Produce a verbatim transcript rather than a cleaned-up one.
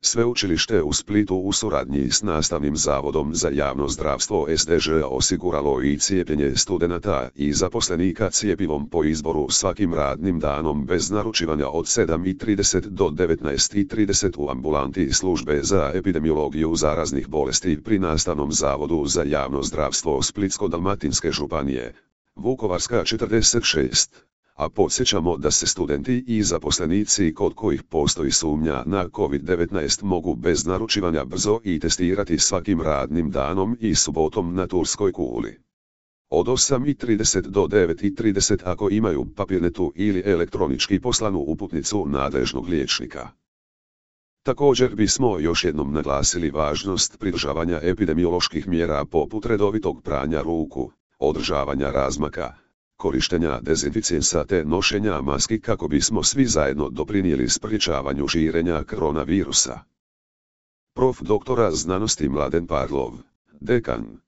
Sveučilište u Splitu u suradnji s Nastavnim zavodom za javno zdravstvo S D Ž osiguralo i cijepljenje studenata i zaposlenika cjepivom po izboru svakim radnim danom bez naručivanja od sedam i trideset do devetnaest i trideset u ambulanti službe za epidemiologiju zaraznih bolesti pri Nastavnom zavodu za javno zdravstvo Splitsko-dalmatinske županije, Vukovarska četrdeset šest. A podsjećamo da se studenti i zaposlenici kod kojih postoji sumnja na kovid devetnaest mogu bez naručivanja brzo i testirati svakim radnim danom i subotom na Turskoj kuli. Od osam i trideset do devet i trideset ako imaju papirnetu ili elektronički poslanu uputnicu nadležnog liječnika. Također bismo još jednom naglasili važnost pridržavanja epidemioloških mjera poput redovitog pranja ruku, održavanja razmaka, korištenja dezinficijensa te nošenja maski kako bismo svi zajedno doprinijeli sprječavanju širenja koronavirusa. Prof. doktora znanosti Mladen Parlov, dekan.